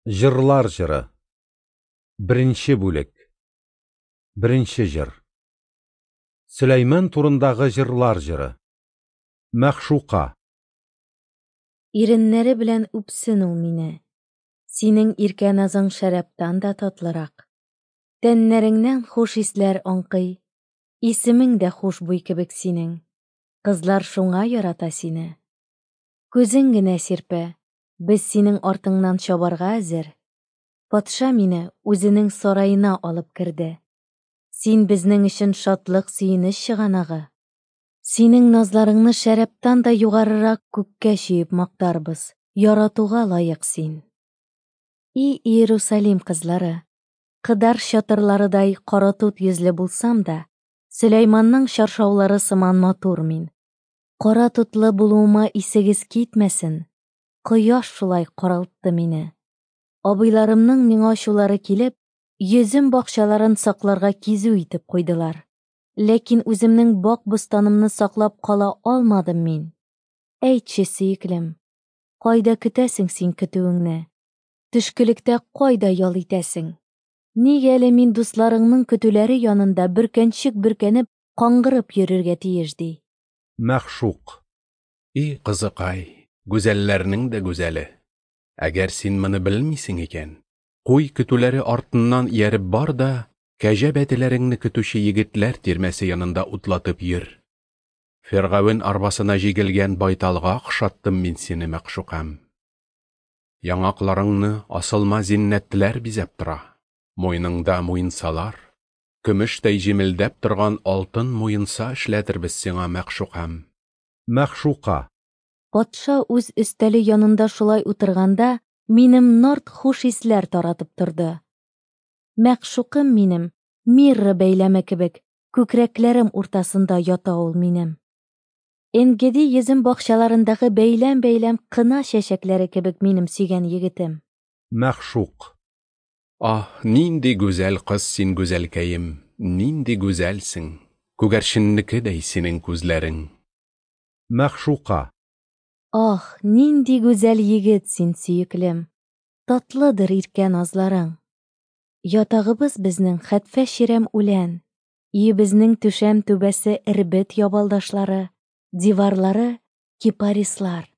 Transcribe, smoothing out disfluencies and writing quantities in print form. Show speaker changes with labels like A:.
A: Җырлар җыры. Беренче бүлек. Беренче җыр. Сөләйман турындагы җырлар җыры. Мәгъшука.
B: Иреннәре белән үпсен ул мине. Синең иркә назың шәрабтан да татлырак. Тәннәреңнән хуш исләр аңкый. Исемең дә хушбуй кебек синең. Кызлар шуңа ярата сине. Күзең генә сирпә, без синең артыңнан чабарга әзер. Патша мине үзенең сараена алып керде. Син безнең өчен шатлык-сөенеч чыганагы. Синең назларыңны шәрабтан да югарырак күккә чөеп мактарбыз, яратуга лаек син. И Иерусалим кызлары, Кыдар чатырларыдай каратут йөзле булсам да, Сөләйманның чаршаулары сыман матур мин. Кара тутлы булуыма исегез китмәсен, кояш шулай каралтты мине. Абыйларымның миңа ачулары килеп, йөзем бакчаларын сакларга кизү итеп куйдылар. Ләкин үземнең бак-бостанымны саклап кала алмадым мин. Әйтче, сөеклем, кайда көтәсең син көтүеңне? Төшкелектә кайда ял итәсең? Нигә әле мин дусларыңның көтүләре янында бөркәнчек бөркәнеп, каңгырып йөрергә тиеш, ди?
A: Мәгъшук.
C: И кызыкай, гүзәлләрнең дә гүзәле! Әгәр син моны белмисең икән, куй көтүләре артыннан ияреп бар да, кәҗә бәтиләреңне көтүче егетләр тирмәсе янында утлатып йөр. Фиргавен арбасына җигелгән байталга охшаттым мин сине, мәгъшукам. Яңакларыңны асылма зиннәтләр бизәп тора, муеныңда муенсалар, көмештәй җемелдәп торган алтын муенса эшләтербез сиңа, мәгъшукам.
A: Мәгъшука.
B: Патша үз өстәле янында шулай утырганда, минем нард хуш исләр таратып торды. Мәгъшукым минем, мирра бәйләме кебек, күкрәкләрем уртасында ята ул минем. Энгеди йөзем бакчаларындагы бәйләм-бәйләм кына чәчәкләре кебек минем сөйгән егетем.
A: Мәгъшук.
C: Аһ, нинди гүзәл кыз син, гүзәлкәем, нинди гүзәлсең, күгәрченнекедәй синең күзләрең.
A: Мәгъшука.
B: Аһ, нинди гүзәл егет син, сөеклем, татлыдыр иркә назларың. Ятагыбыз безнең хәтфә чирәм үлән, өебезнең түшәм түбәсе эрбет ябалдашлары, диварлары кипарислар.